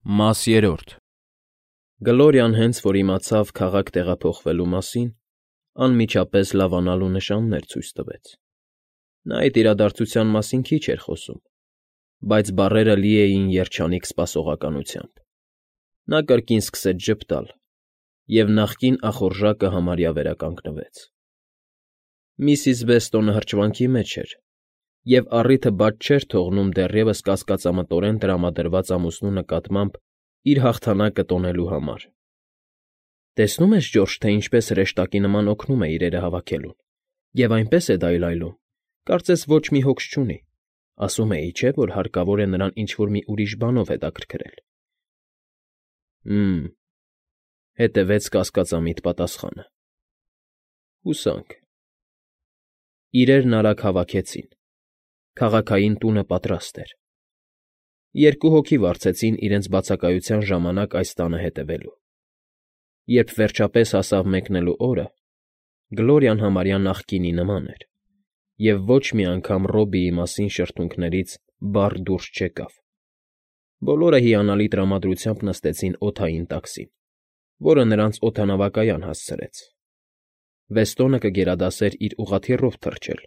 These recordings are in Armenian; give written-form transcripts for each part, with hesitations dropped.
Մաս երրորդ Գլորիան հենց որ իմացավ քաղաք տեղափոխվելու մասին, անմիջապես լավանալու նշաններ ցույց տվեց. նա այդ իրադարձության մասին քիչ էր խոսում, բայց բառերը լի էին երջանիկ սպասողականությամբ. նա կրկին սկսեց ժպտալ, և նախկին ախորժակը համարյա վերականգնվեց։ Միսիս Վեստոնը հրճվանքի մեջ էր և առիթը բաց չէր թողնում դեռևս կասկածամտորեն տրամադրված ամուսնու նկատմամբ իր հաղթանակը տոնելու համար։ «Տեսնում ես, Ջորջ, թե ինչպես հրեշտակի նման օգնում է իրերը հավաքելուն, և այնպես է դայլայլում, կարծես ոչ մի հոգս չունի, ասում էի, չէ՞, որ հարկավոր է նրան ինչ֊որ մի ուրիշ բանով հետաքրքրել»։ Հը՛մ, հետևեց կասկածամիտ պատասխանը։ Հուսանք։ Իրերն արագ հավաքեցին, քաղաքային տունը պատրաստ էր։ Երկու հոգի վարձեցին իրենց բացակայության ժամանակ այս տանը հետևելու։ Երբ վերջապես հասավ մեկնելու օրը, Գլորիան համարյա նախկինի նման էր, և ոչ մի անգամ Ռոբիի մասին շրթունքներից բառ դուրս չեկավ։ Բոլորը հիանալի տրամադրությամբ նստեցին օդային տաքսին, որը նրանց օդանավակայան հասցրեց։ Վեստոնը կգերադասեր իր ուղղաթիռով թռչել,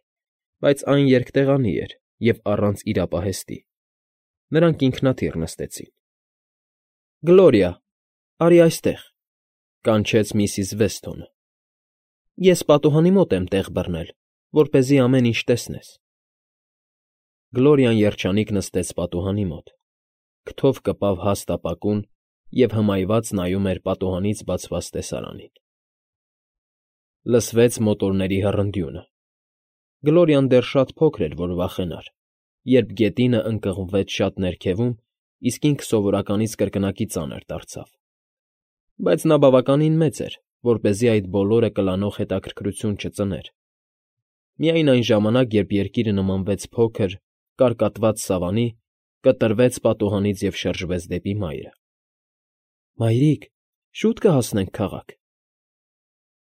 բայց այն երկտեղանի էր և առանց իրապահեստի։ Նրանք ինքնաթիռ նստեցին։ «Գլորիա, արի այստեղ», կանչեց միսիս Վեստոնը։ «Ես պատուհանի մոտ եմ տեղ բռնել, որպեսզի ամեն ինչ տեսնես»։ Գլորիան երջանիկ նստեց պատուհանի մոտ, քթով կպավ հաստ ապակուն և հմայված նայում էր պատուհանից բացված տեսարանին։ Լսվեց մոտորների հռնդյունը։ Գլորիան դեռ շատ փոքր էր, որ վախենար, երբ գետինը ընկղմվեց շատ ներքևում, իսկ ինքը սովորականից կրկնակի ծանր դարձավ։ Բայց նա բավականին մեծ էր, որպեսզի այդ բոլորը կլանող հետաքրքրություն չծներ։ Միայն այն ժամանակ, երբ երկիրը նմանվեց փոքր, կարկատված սավանի, կտրվեց պատուհանից և շրջվեց դեպի մայրը։ «Մայրիկ, շուտ կհասնենք քաղաք»։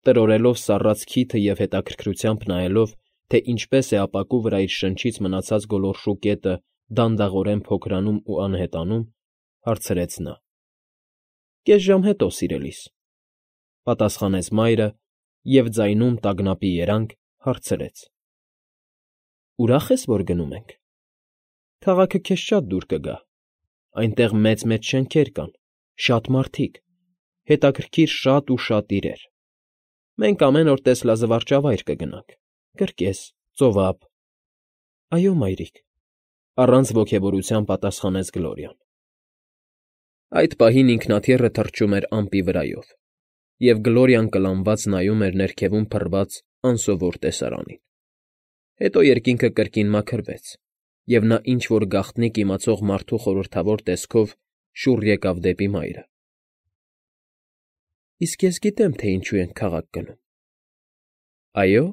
Տրորելով սառած քիթը և հետաքրքրությամբ նայելով, թե ինչպես է ապակու վրա իր շնչից մնացած գոլորշու կետը դանդաղորեն փոքրանում ու անհետանում, հարցրեց նա։ «Կես ժամ հետո, սիրելիս», պատասխանեց մայրը և ձայնում տագնապի երանգ հարցրեց. «Ուրախ ես, որ գնում ենք։ Քաղաքը քեզ շատ դուր կգա, այնտեղ մեծ֊մեծ շենքեր կան, շատ մարդիկ, հետաքրքիր շատ ու շատ իրեր։ Մենք ամեն օր տեսլազվարճավայր կգնանք, կրկես, ծովափ»։ «Այո, մայրիկ», առանց ոգևորության պատասխանեց Գլորիան։ Այդ պահին ինքնաթիռը թռչում էր ամպի վրայով, և Գլորիան կլանված նայում էր ներքևում փռված անսովոր տեսարանին։ Հետո երկինքը կրկին մաքրվեց, և նա ինչ֊որ գաղտնիք իմացող մարդու խորհրդավոր տեսքով շուռ եկավ դեպի մայրը։ «Իսկ ես գիտեմ, թե ինչու ենք քաղաք գնում»։ «Այո՞»,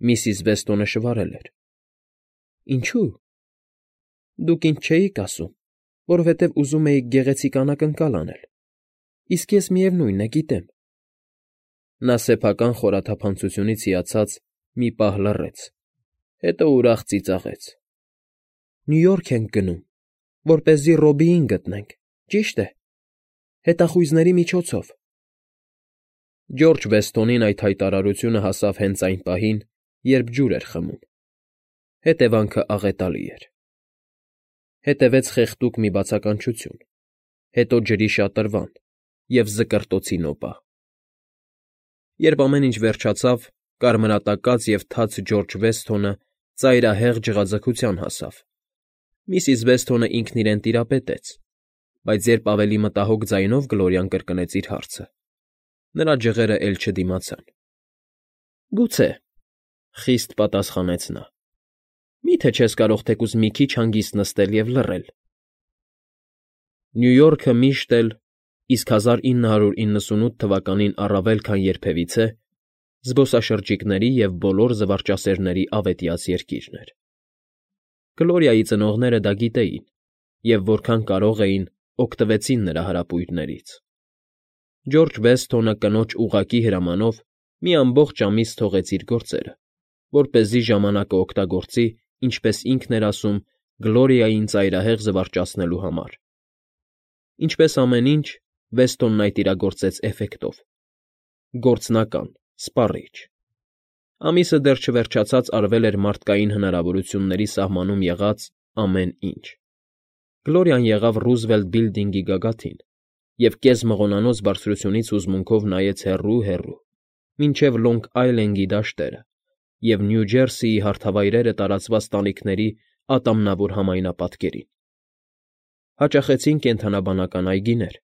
միսիս Վեստոնը շվարել էր։ «Ինչու՞։ Դուք ինձ չէիք ասում, որովհետև ուզում էիք գեղեցիկ անակնկալ անել, իսկ ես, միևնույն է, գիտեմ»։ Նա սեփական խորաթափանցությունից հիացած մի պահ լռեց, հետո ուրախ ծիծաղեց։ «Նյու Յորք ենք գնում, որպեսզի Ռոբիին գտնենք, ճիշտ է, հետախույզների միջոցով»։ Ջորջ Վեստոնին այդ հայտարարությունը հասավ հենց այն պահին, երբ ջուր էր խմում։ Հետևանքը աղետալի էր։ Հետևեց խեղդուկ մի բացականչություն, հետո ջրի շատրվան և զկրտոցի նոպա։ Երբ ամեն ինչ վերջացավ, կարմրատակած և թաց Ջորջ Վեսթոնը ծայրահեղ ջղաձգության հասավ։ Միսիս Վեստոնը ինքն իրեն տիրապետեց, բայց երբ ավելի մտահոգ ձայնով Գլորիան կրկնեց իր հարցը, նրա ջղերը էլ չդիմացան։ «Գուցե», խիստ պատասխանեց նա։ «Մի՞թե չես կարող թեկուզ մի քիչ հանգիստ նստել և լռել»։ Նյու Յորքը միշտ էլ, իսկ 1998 թվականին առավել քան երբևիցե, զբոսաշրջիկների և բոլոր զվարճասերների ավետյաց երկիրն էր։ Գլորիայի ծնողները դա գիտեին և որքան կարող էին, օգտվեցին նրա հրապույրներից։ Ջորջ Վեսթոնը կնոջ ուղղակի հրամանով մի ամբողջ ամիս թողեց իր գործերը, որպեսզի ժամանակը օգտագործի, ինչպես ինքն էր ասում, Գլորիային ծայրահեղ զվարճացնելու համար։ Ինչպես ամեն ինչ, Վեստոնն այդ իրագործեց էֆեկտով. գործնական, սպառիչ։ Ամիսը դեռ չվերջացած արվել էր մարդկային հնարավորությունների սահմանում եղած ամեն ինչ։ Գլորիան եղավ Ռուզվելտ Բիլդինգի գագաթին և կես-մղոնանոց բարձրությունից հուզմունքով նայեց հեռու, մինչև Լոնգ Այլենդի դաշտերը և Նյու Ջերսիի հարթավայրերը տարածված տանիքների ատամնավոր համայնապատկերին։ Հաճախեցին կենդանաբանական այգիներ,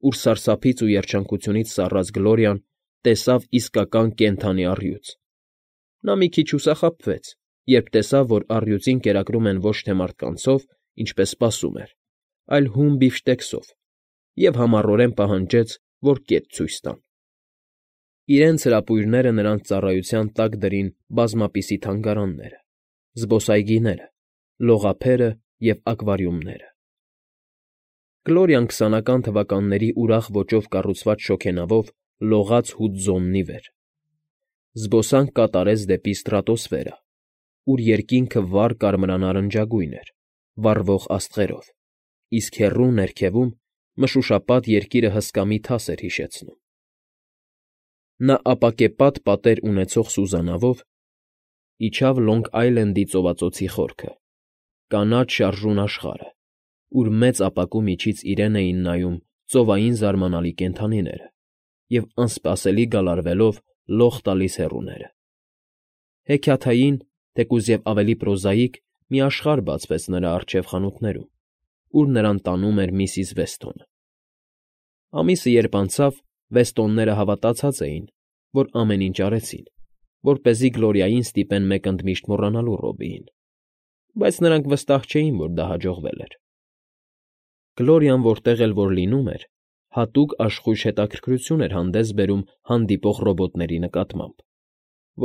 ուր սարսափից ու երջանկությունից սառած Գլորիան տեսավ իսկական կենդանի առյուծ։ Նա մի քիչ հուսախաբվեց, երբ տեսավ, որ առյուծին կերակրում են ոչ թե մարդկանցով, ինչպես սպասում էր, այլ հում բիֆշտեքսով, և համառորեն պահանջեց, որ կետ ցույց տան։ Իրենց հրապույրները նրանց ծառայության տակ դրին բազմապիսի թանգարանները, զբոսայգիները, լողափերը և ակվարիումները։ Գլորիան 20-ական թվականների ուրախ ոճով կառուցված շոգենավով լողաց հուդզոննի վեր։ Զբոսանք կատարեց դեպի ստրատոսֆերա, ուր երկինքը վառ կարմրանարնջագույն էր, վառվող աստղերով, իսկ հեռու ներքևում մշուշապատ երկիրը հսկա մի թաս էր հիշեցնում։ Նա ապակեպատ պատեր ունեցող սուզանավով իջավ Լոնգ Այլենդի ծովածոցի խորքը, կանաչ շարժուն աշխարհը, ուր մեծ ապակու միջից իրեն էին նայում ծովային զարմանալի կենդանիները և անսպասելի գալարվելով լող տալիս հեռուները։ Հեքիաթային, թեկուզ և ավելի պրոզաիկ մի աշխարհ բացվեց նրա առջև խանութներում, ուր նրան տանում էր միսիս Վեստոնը։ Ամիսը երբ անցավ, Վեստոնները հավատացած էին, որ ամեն ինչ արեցին, որպեսզի Գլորիային ստիպեն մեկ ընդմիշտ մոռանալու Ռոբիին, բայց նրանք վստահ չէին, որ դա հաջողվել էր։ Գլորիան որտեղ էլ որ լինում էր, հատուկ աշխույժ հետաքրքրություն էր հանդես բերում հանդիպող ռոբոտների նկատմամբ,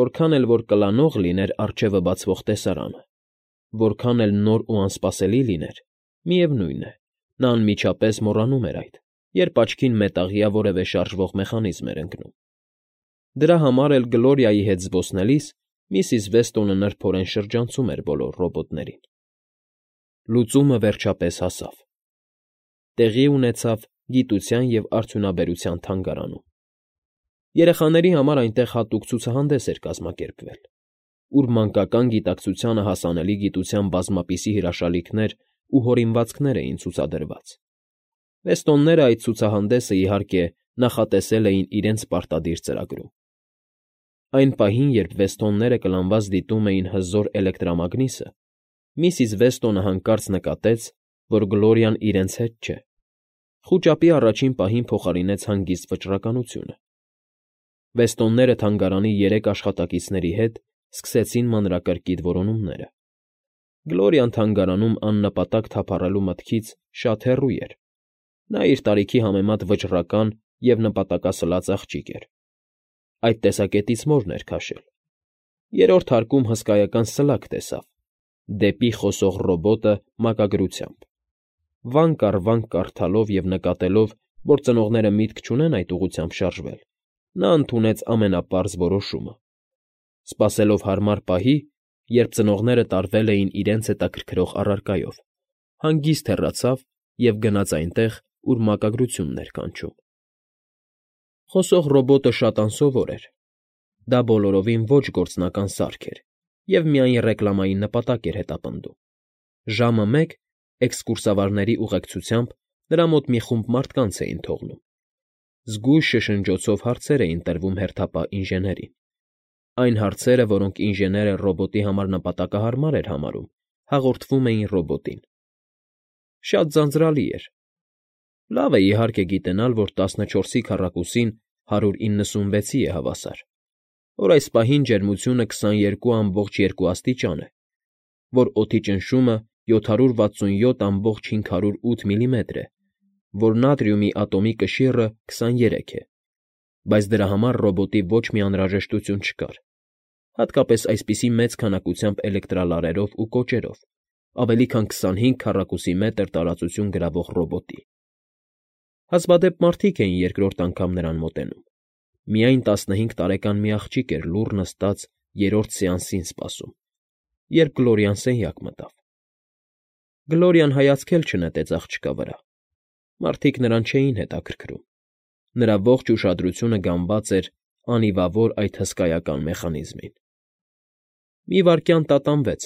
որքան էլ որ կլանող լիներ առջևը բացվող տեսարանը, որքան էլ նոր ու անսպասելի լիներ, միևնույն է, նա անմիջապես մոռանում էր այդ, երբ աչքին մետաղյա որևէ շարժվող մեխանիզմ էր ընկնում։ Դրա համար էլ Գլորիայի հետ զբոսնելիս միսիս Վեստոնը նրբորեն շրջանցում էր բոլոր ռոբոտներին։ Լուծումը վերջապես հասավ։ Տեղի ունեցավ Գիտության և արդյունաբերության թանգարանում։ Երեխաների համար այնտեղ հատուկ ցուցահանդես էր կազմակերպվել, ուր մանկական գիտակցությանը հասանելի գիտության բազմապիսի հրաշալիքներ ու հորինվածքներ էին ցուցադրված։ Վեստոնները այդ ցուցահանդեսը, իհարկե, նախատեսել էին իրենց պարտադիր ծրագրում։ Այն պահին, երբ Վեստոնները կլանված դիտում էին հզոր էլեկտրամագնիսը, միսիս Վեստոնը հանկարծ նկատեց, որ Գլորիան իրենց հետ չէ։ Խուճապի առաջին պահին փոխարինեց հանգիստ վճռականությունը։ Վեստոնները թանգարանի 3 աշխատակիցների հետ սկսեցին մանրակրկիտ որոնումները։ Գլորիան թանգարանում աննպատակ թափառելու մտքից շատ հեռու էր։ Նա իր տարիքի համեմատ վճռական և նպատակասլաց աղջիկ էր։ Այդ տեսակետից մորն էր քաշել։ Երրորդ հարկում հսկայական սլակ տեսավ՝ դեպի խոսող ռոբոտը մակագրությամբ։ Վանք առ վանք կարդալով և նկատելով, որ ծնողները միտք չունեն այդ ուղղությամբ շարժվել, նա ընդունեց ամենապարզ որոշումը։ Սպասելով հարմար պահի, երբ ծնողները տարվել էին իրենց հետաքրքրող առարկայով, հանգիստ հեռացավ և գնաց այնտեղ, ուր մակագրությունն էր կանչում։ Խոսող ռոբոտը շատ անսովոր էր։ Դա բոլորովին ոչ գործնական սարք էր և միայն ռեկլամային նպատակ էր հետապնդում։ Ժամը 1 էքսկուրսավարների ուղեկցությամբ նրա մոտ մի խումբ մարդկանց էին թողնում։ Զգույշ շշնջոցով հարցեր էին տրվում հերթապահ ինժեներին։ Այն հարցերը, որոնք ինժեները ռոբոտի համար նպատակահարմար էր համարում, հաղորդվում էին ռոբոտին։ Շատ ձանձրալի էր։ Լավ է, իհարկե, գիտենալ, որ 14-ի քառակուսին 196-ի է հավասար, որ այս պահին ջերմությունը 22.2 աստիճան է, որ օդի ճնշումը 767.508 միլիմետր է, որ նատրիումի ատոմի կշիռը 23 է, բայց դրա համար ռոբոտի ոչ մի անհրաժեշտություն չկար, հատկապես այսպիսի մեծ քանակությամբ էլեկտրալարերով ու կոճերով, ավելի քան 25 քառակուսի մետր տարածություն գրավող ռոբոտի։ Հազվադեպ մարդիկ էին երկրորդ անգամ նրան մոտենում։ Միայն 15 տարեկան մի աղջիկ էր լուռ նստած երրորդ սեանսին սպասում, երբ Գլորիան սենյակ մտավ։ Գլորիան հայացք էլ չնետեց աղջկա վրա։ Մարդիկ նրան չէին հետաքրքրում։ Նրա ողջ ուշադրությունը գամված էր անիվավոր այդ հսկայական մեխանիզմին։ Մի վայրկյան տատանվեց,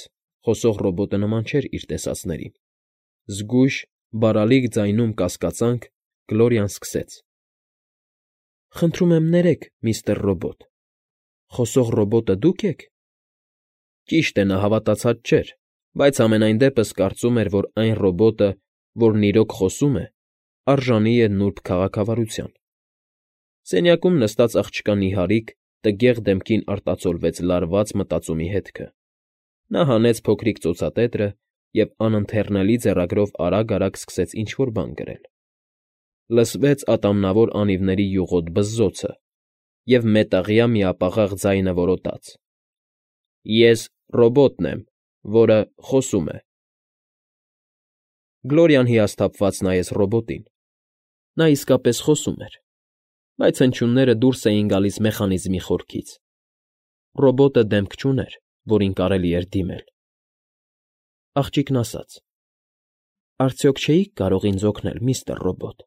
խոսող ռոբոտը նման չէր իր տեսածներին։ Զգույշ, բարալիկ ձայնում կասկածանք Գլորիան սկսեց. «Խնդրում եմ ներեք, միստր Ռոբոտ, խոսող ռոբոտը դուք եք»։ Ճիշտ է, նա հավատացած չէր, բայց համենայն դեպս կարծում էր, որ այն ռոբոտը, որն իրոք խոսում է, արժանի է նուրբ քաղաքավարության։ Սենյակում նստած աղջկա նիհարիկ, տգեղ դեմքին արտացոլվեց լարված մտածումի հետքը։ Նա հանեց փոքրիկ ծոցատետրը և անընթեռնելի ձեռագրով արագ֊արագ սկսեց ինչ֊որ բան գրել։ Լսվեց ատամնավոր անիվների յուղոտ բզզոցը, և մետաղյա միապաղաղ ձայնը որոտաց. «Ես ռոբոտն եմ, որը խոսում է»։ Գլորիան հիասթափված նայեց ռոբոտին։ Նա իսկապես խոսում էր, բայց հնչյունները դուրս էին գալիս մեխանիզմի խորքից։ Ռոբոտը դեմք չուներ, որին կարելի էր դիմել։ Աղջիկն ասաց. «Արդյոք չէի՞ք կարող ինձ օգնել, միստր Ռոբոտ»։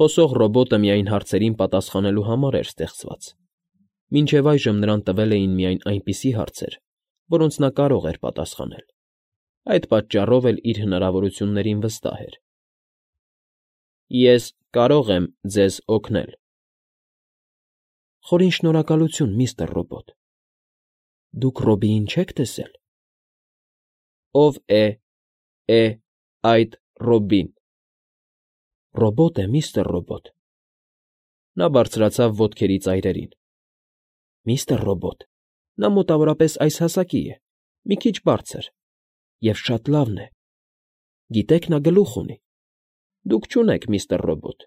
Խոսող ռոբոտը միայն հարցերին պատասխանելու համար էր ստեղծված։ Մինչև այժմ նրան տվել էին միայն այնպիսի հարցեր, որոնց նա կարող էր պատասխանել։ Այդ պատճառով էլ իր հնարավորություններին վստահ էր։ «Ես կարող եմ ձեզ օգնել»։ «Խորին շնորհակալություն, միստր Ռոբոտ։ Դուք Ռոբիին չեք տեսել»։ «Ով է այդ Ռոբին»։ «Ռոբոտ է, միստր Ռոբոտ»։ Նա բարձրացավ ոտքերի ծայրերին։ «Միստր Ռոբոտ, նա մոտավորապես այս հասակի է, մի քիչ բարձր, և շատ լավն է։ Գիտեք, նա գլուխ ունի։ Դուք չունեք, միստր Ռոբոտ,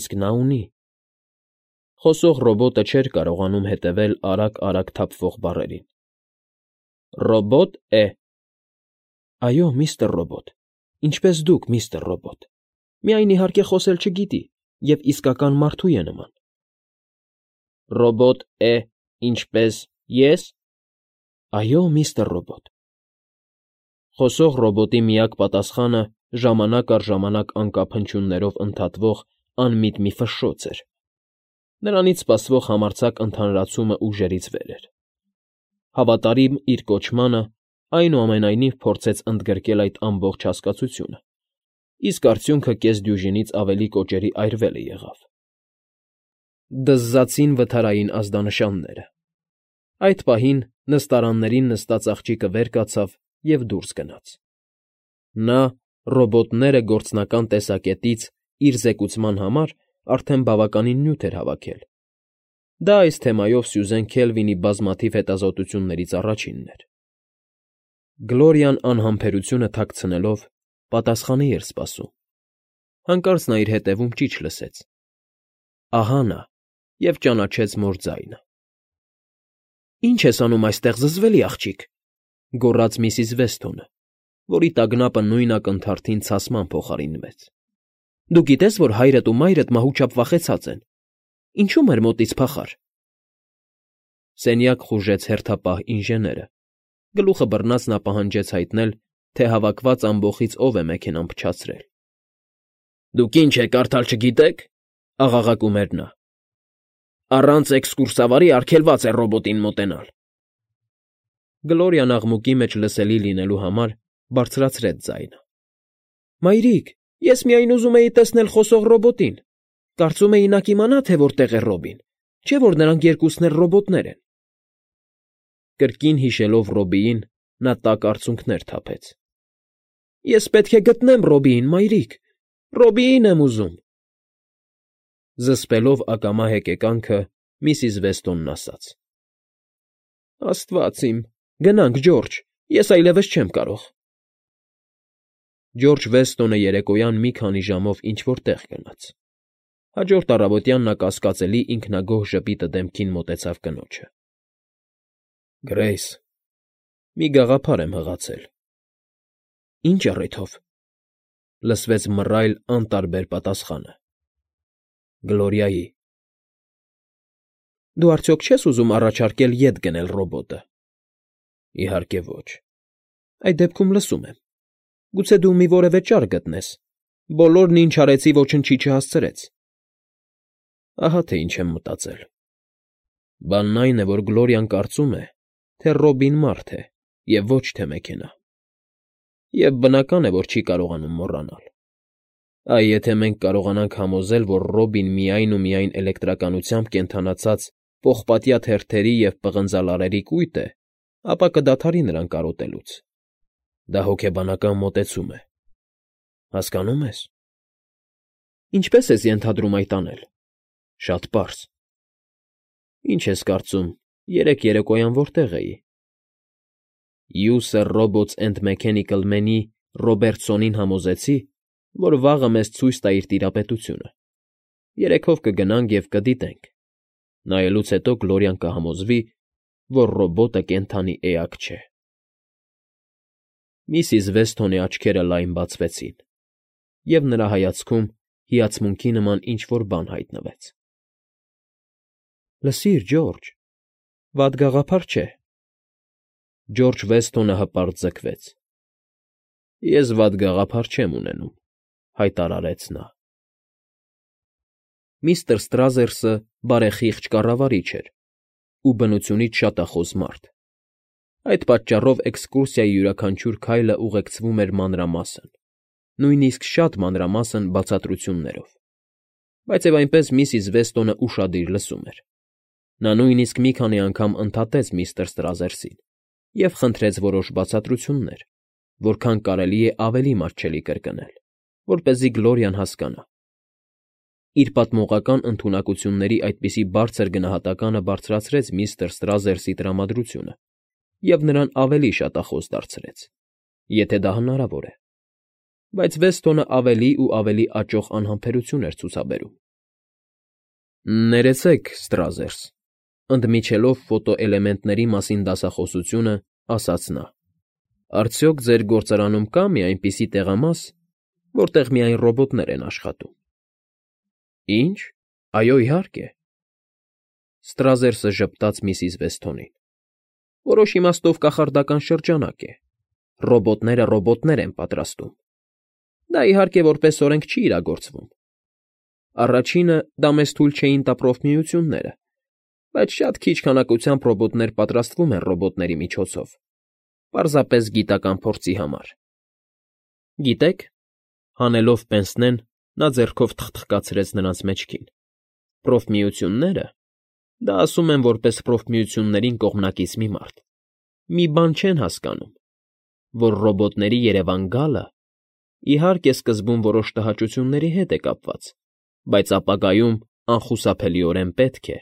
իսկ նա ունի»։ Խոսող ռոբոտը չէր կարողանում հետևել արագ֊արագ թափվող բառերին։ «Ռոբոտ է»։ «Այո, միստր Ռոբոտ, ինչպես դուք, միստր Ռոբոտ, միայն իհարկե խոսել չգիտի և իսկական մարդու է նման»։ «Ռոբոտ է, ինչպես ես»։ «Այո, միստր Ռոբոտ»։ Խոսող ռոբոտի միակ պատասխանը ժամանակ առ ժամանակ անկապ հնչյուններով ընդհատվող անմիտ մի ֆշշոց էր։ Նրանից սպասվող համարձակ ընդհանրացումը ուժերից վեր էր։ Հավատարիմ իր կոչմանը, այնուամենայնիվ փորձեց ընդգրկել այդ ամբողջ հասկացությունը, իսկ արդյունքը կեսդյուժինից ավելի կոճերի այրվելը եղավ։ Դզզացին վթարային ազդանշանները։ Այդ պահին նստարաններին նստած աղջիկը վեր կացավ և դուրս գնաց։ Նա, ռոբոտները գործնական տեսակետից իր զեկուցման համար արդեն բավականին նյութ էր հավաքել։ Դա այս թեմայով Սյուզեն Քելվինի բազմաթիվ հետազոտություններից առաջինն էր։ Գլորիան անհամբերությունը թաքցնելով պատասխանի էր սպասում։ Հանկարծ նա իր հետևում ճիչ լսեց։ Ահա նա, և ճանաչեց մոր ձայնը։ «Ի՞նչ ես անում այստեղ, զզվելի աղջիկ», գոռաց միսիս Վեսթոնը, որի տագնապը նույն ակնթարթին ցասման փոխարինվեց։ «Դու գիտես, որ հայրդ ու մայրդ մահուճապ վախեցած են։ Ինչու՞ մեր մոտից փախար»։ Սենյակ խուժեց հերթապահ ինժեները։ Գլուխը բռնած նա պահանջեց հայտնել, թե հավաքված ամբոխից ով է մեքենան փչացրել։ «Դուք ինչ եք, կարդալ չգիտեք», աղաղակում էր նա։ «Առանց էքսկուրսավարի արգելված է ռոբոտին մոտենալ»։ Գլորիան աղմուկի մեջ լսելի լինելու համար բարձրացրեց ձայնը։ «Մայրիկ, ես միայն ուզում էի տեսնել խոսող ռոբոտին։ Կարծում էի նա կիմանա, թե որտեղ է Ռոբին, չէ՞ որ նրանք երկուսն էլ ռոբոտներ են»։ Կրկին հիշելով Ռոբիին, նա տաք արցունքներ թափեց։ «Ես պետք է գտնեմ Ռոբիին, մայրիկ, Ռոբիին եմ ուզում»։ Զսպելով ակամա հեկեկանքը, միսիս Վեստոնն ասաց. «Աստված իմ, գնանք, Ջորջ, ես այլևս չեմ կարող»։ Ջորջ Վեստոնը երեկոյան մի քանի ժամով ինչ֊որ տեղ գնաց։ Հաջորդ առավոտյան նա կասկածելի ինքնագոհ ժպիտը դեմքին մոտեցավ կնոջը։ «Գրեյս, մի գաղափար եմ հղացել»։ «Ինչ առիթով»։ Լսվեց մռայլ, անտարբեր պատասխանը։ «Գլորիայի»։ «Դու արդյոք չես ուզում առաջարկել ետ գնել ռոբոտը»։ «Իհարկե ոչ»։ «Այդ դեպքում լսում եմ։ Գուցե դու մի որևէ ճար գտնես, Բոլորն, ինչ արեցի, ոչնչի չհասցրեց։ Ահա թե ինչ եմ մտածել։ Բանն այն է, որ Գլորիան կարծում է, թե Ռոբին մարդ է և ոչ թե մեքենա։ Եվ բնական է, որ չի կարողանում մոռանալ։ Այ եթե մենք կարողանանք համոզել, որ Ռոբին միայն ու միայն էլեկտրականությամբ կենդանացած պողպատյա թերթերի և պղնձալարերի կույտ է, ապա կդադարի նրան կարոտելուց։ Դա հոգեբանական մոտեցում է։ Հասկանո՞ւմ ես։ Ինչպե՞ս ես ենթադրում այդ անել։ Շատ պարզ։ Ինչ ես կարծում, երեկ երեկոյան որտեղ էի։ User Robots and Mechanical Man-ի Ռոբերտսոնին համոզեցի, որ վաղը մեզ ցույց տա իր տիրապետությունը։ Երեքով կգնանք և կդիտենք։ Նայելուց հետո Գլորիան կհամոզվի, որ ռոբոտը կենդանի էակ չէ։ Միսիս Վեսթոնի աչքերը լայն բացվեցին, և նրա հայացքում հիացմունքի նման ինչ֊որ բան հայտնվեց։ Լսիր, Ջորջ, վատ գաղափար չէ։ Ջորջ Վեսթոնը հպարտ ձգվեց։ Ես վատ գաղափար չեմ ունենում, հայտարարեց նա։ Միստր Ստրազերսը բարեխիղճ կառավարիչ էր ու բնությունից շատախոս մարդ։ Այդ պատճառով էքսկուրսիայի յուրաքանչյուր քայլը ուղեկցվում էր մանրամասն, նույնիսկ շատ մանրամասն բացատրություններով։ Բայց և այնպես միսիս Վեստոնը ուշադիր լսում էր։ Նա նույնիսկ մի քանի անգամ ընդհատեց միստր Ստրազերսին և խնդրեց որոշ բացատրություններ, որքան կարելի է ավելի մատչելի կրկնել, որպեսզի Գլորիան հասկանա։ Իր պատմողական ընդունակությունների այդպիսի բարձր գնահատականը բարձրացրեց միստր Ստրազերսի տրամադրությունը և նրան ավելի շատախոս դարձրեց, եթե դա հնարավոր է։ Բայց Վեստոնը ավելի ու ավելի աճող անհամբերություն էր ցուցաբերում։ Ներեցեք, Ստրազերս, ընդմիջելով ֆոտոէլեմենտների մասին դասախոսությունը, ասաց նա. Արդյոք ձեր գործարանում կա՞ մի այնպիսի տեղամաս, որտեղ միայն ռոբոտներ են աշխատում։ Ինչ։ Այո, իհարկե։ Ստրազերսը ժպտաց միսիս Վեսթոնին։ Որոշ իմաստով կախարդական շրջանակ է։ Ռոբոտները ռոբոտներ են պատրաստում։ Դա, իհարկե, որպես օրենք չի իրագործվում։ Առաջինը դա մեզ թույլ չէին տա փրոֆմիությունները, բայց շատ քիչ քանակությամբ ռոբոտներ պատրաստվում են ռոբոտների միջոցով, պարզապես գիտական փորձի համար։ Գիտեք, հանելով պենսնեն, նա ձեռքով թխթխկացրեց նրանց մեջքին։ Փրոֆմիությունները, դա ասում են որպես փրոֆմիություններին կողմնակից մի մարդ, մի բան չեն հասկանում, որ ռոբոտների երևան գալը, իհարկե, սկզբում որոշ տհաճությունների հետ է կապված, բայց ապագայում անխուսափելիորեն պետք է։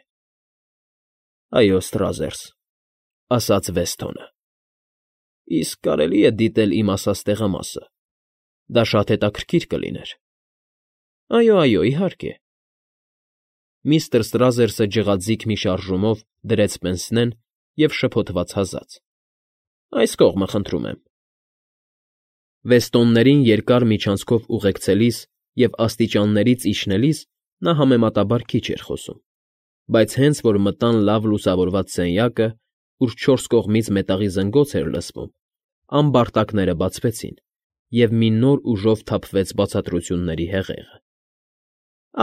Այո, Ստրազերս, ասաց Վեսթոնը։ Իսկ կարելի է դիտել իմ ասած տեղամասը։ Դա շատ հետաքրքիր կլիներ։ Այո, իհարկե։ Միստր Ստրազերսը ջղաձիգ մի շարժումով դրեց պենսնեն և շփոթված հազաց։ Այս կողմը, խնդրում եմ։ Վեստոններին երկար միջանցքով ուղեկցելիս և աստիճաններից իջնելիս նա համեմատաբար քիչ էր խոսում, բայց հենց որ մտան լավ լուսավորված սենյակը, ուր չորս կողմից մետաղի զնգոց էր լսվում, ամբարտակները բացվեցին, և մի նոր ուժով թափվեց բացատրությունների հեղեղը։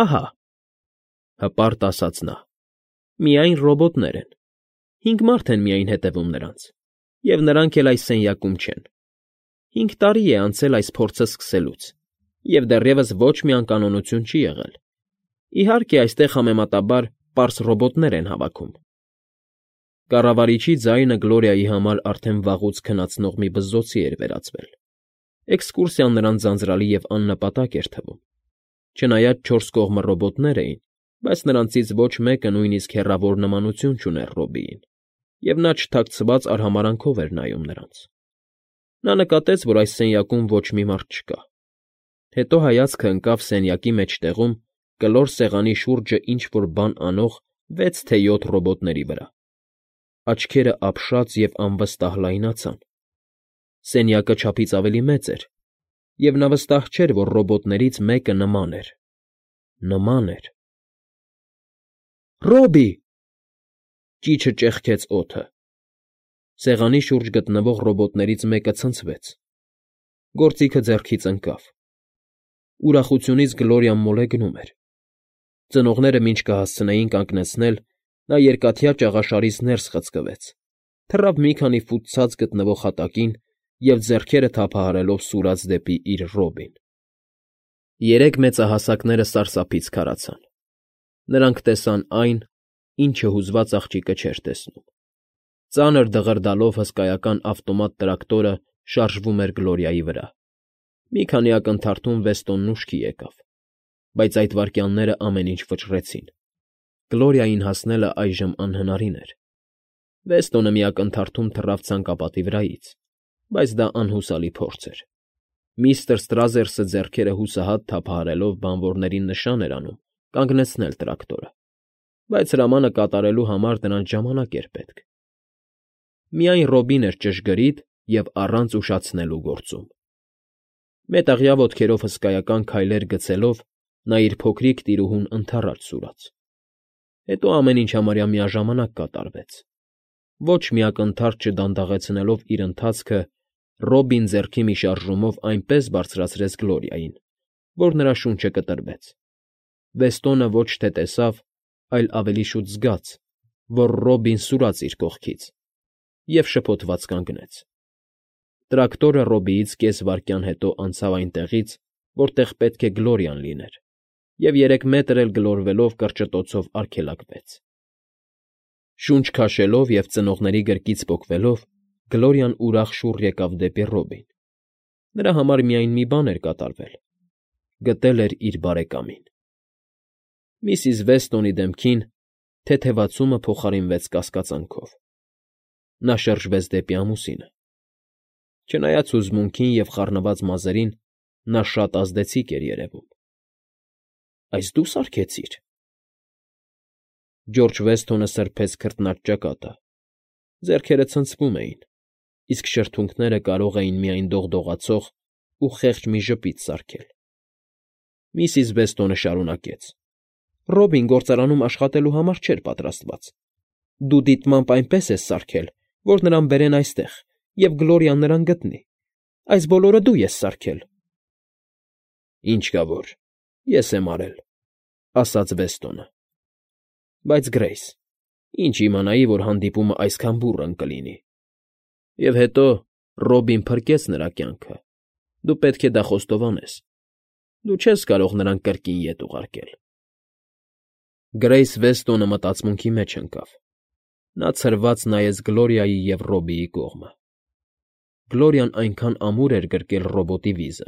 Ահա, հպարտ ասաց նա, միայն ռոբոտներ են, 5 մարդ են միայն հետևում նրանց, և նրանք էլ այս սենյակում չեն։ 5 տարի է անցել այս փորձը սկսելուց, և դեռևս ոչ մի անկանոնություն չի եղել։ Իհարկե, այստեղ համեմատաբար պարզ ռոբոտներ են հավաքում։ Կառավարիչի ձայնը Գլորիայի համար արդեն վաղուց քնացնող մի բզզոցի էր վերածվել։ Էքսկուրսիան նրան ձանձրալի և աննպատակ էր թվում։ Չնայած չորս կողմը ռոբոտներ էին, բայց նրանցից ոչ մեկը նույնիսկ հեռավոր նմանություն չուներ Ռոբիին, և նա չթաքցված արհամարհանքով էր նայում նրանց։ Նա նկատեց, որ այս սենյակում ոչ մի մարդ չկա։ Հետո հայացքը ընկավ սենյակի մեջտեղում կլոր սեղանի շուրջը ինչ֊որ բան անող 6 թե 7 ռոբոտների վրա։ Աչքերը ապշած և անվստահ լայնացան։ Սենյակը չափից ավելի մեծ էր, և նա վստահ չէր, որ ռոբոտներից մեկը նման էր։ Նման էր… Ռոբի՜… Ճիչը ճեղքեց օդը։ Սեղանի շուրջ գտնվող ռոբոտներից մեկը ցնցվեց։ Գործիքը ձեռքից ընկավ։ Ուրախությունից Գլորիան մոլեգնում էր։ Ծնողները մինչ կհասցնեին կանգնեցնել, նա երկաթյա ճաղաշարից ներս խցկվեց, թռավ մի քանի ֆուտ ցած գտնվող հատակին և ձեռքերը թափահարելով սուրաց դեպի իր Ռոբին։ Երեք մեծահասակները սարսափից քարացան։ Նրանք տեսան այն, ինչը հուզված աղջիկը չէր տեսնում. ծանր դղրդալով հսկայական ավտոմատ տրակտորը շարժվում էր Գլորիայի վրա։ Մի քանի ակնթարթում Վեստոնն ուշքի եկավ, բայց այդ վայրկյանները ամեն ինչ վճռեցին։ Գլորիային հասնելը այժմ անհնարին էր։ Վեստոնը մի ակնթարթում թռավ ցանկապատի վրայից, բայց դա անհուսալի փորձ էր։ Միստր Ստրազերսը ձեռքերը հուսահատ թափահարելով բանվորներին նշան էր անում կանգնեցնել տրակտորը, բայց հրամանը կատարելու համար նրանց ժամանակ էր պետք։ Միայն Ռոբին էր ճշգրիտ և առանց ուշացնելու գործում։ Մետաղյա ոտքերով հսկայական քայլեր գցելով նա իր փոքրիկ տիրուհուն ընդառաջ սուրաց։ Հետո ամեն ինչ համարյա միաժամանակ կատարվեց։ Ոչ մի ակնթարթ չդանդաղեցնելով իր ընթացքը, Ռոբին ձեռքի մի շարժումով այնպես բարձրացրեց Գլորիային, որ նրա շունչը կտրվեց։ Վեստոնը ոչ թե տեսավ, այլ ավելի շուտ զգաց, որ Ռոբին սուրաց իր կողքից, և շփոթված կանգնեց։ Տրակտորը Ռոբիից կես վայրկյան հետո անցավ այնտեղից, որտեղ պետք է Գլորիան լիներ, և 3 մետր էլ գլորվելով կրճտոցով արգելակվեց։ Շունչ քաշելով և ծնողների գրկից պոկվելով Գլորիան ուրախ շուռ եկավ դեպի Ռոբին։ Նրա համար միայն մի բան էր կատարվել. գտել էր իր բարեկամին։ Միսիս Վեստոնի դեմքին թեթևացումը փոխարինվեց կասկածանքով։ Նա շրջվեց դեպի ամուսինը։ Չնայած հուզմունքին և խառնված մազերին, նա շատ ազդեցիկ էր երևում։ Այս դու սարքեցի՞ր։ Ջորջ Վեսթոնը սրբեց քրտնած ճակատը։ Ձեռքերը ցնցվում էին, իսկ շրթունքները կարող էին միայն դողդողացող ու խեղճ մի ժպիտ սարքել։ Միսիս Վեստոնը շարունակեց. Ռոբին գործարանում աշխատելու համար չէր պատրաստված։ Դու դիտմամբ այնպես ես սարքել, որ նրան բերեն այստեղ, և Գլորիան նրան գտնի։ Այս բոլորը դու ես սարքել։ Ինչ կա որ, ես եմ արել, ասաց Վեստոնը։ Բայց Գրեյս, ինչ իմանայի, որ հանդիպումը այսքան բուռն կլինի։ Եվ հետո Ռոբին փրկեց նրա կյանքը։ Դու պետք է դա խոստովանես։ Դու չես կարող նրան կրկին ետ ուղարկել։ Գրեյս Վեստոնը մտածմունքի մեջ ընկավ։ Նա ցրված նայեց Գլորիայի և Ռոբիի կողմը։ Գլորիան այնքան ամուր էր գրկել ռոբոտի վիզը,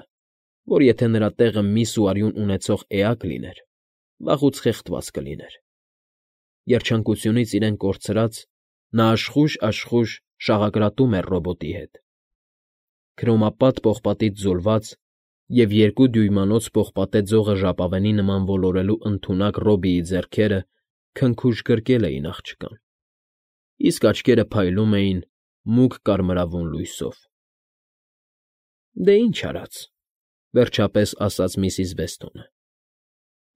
որ եթե նրա տեղը միս ու արյուն ունեցող էակ լիներ, վաղուց խեղդված կլիներ։ Երջանկությունից իրեն կորցրած՝ նա աշխույժ շաղակրատում էր ռոբոտի հետ։ Քրոմապատ պողպատից ձուլված և 2 դյույմանոց պողպատե ձողը ժապավենի նման ոլորելու ընդունակ Ռոբիի ձեռքերը քնքուշ գրկել էին աղջկան, իսկ աչքերը փայլում էին մուգ կարմրավուն լույսով։ Դե ինչ արած, վերջապես ասաց միսիս Վեստոնը։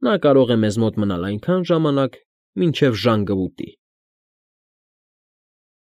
Նա կարող է մեզ մոտ մնալ այնքան ժամանակ, մինչև ժանգ կվուտի։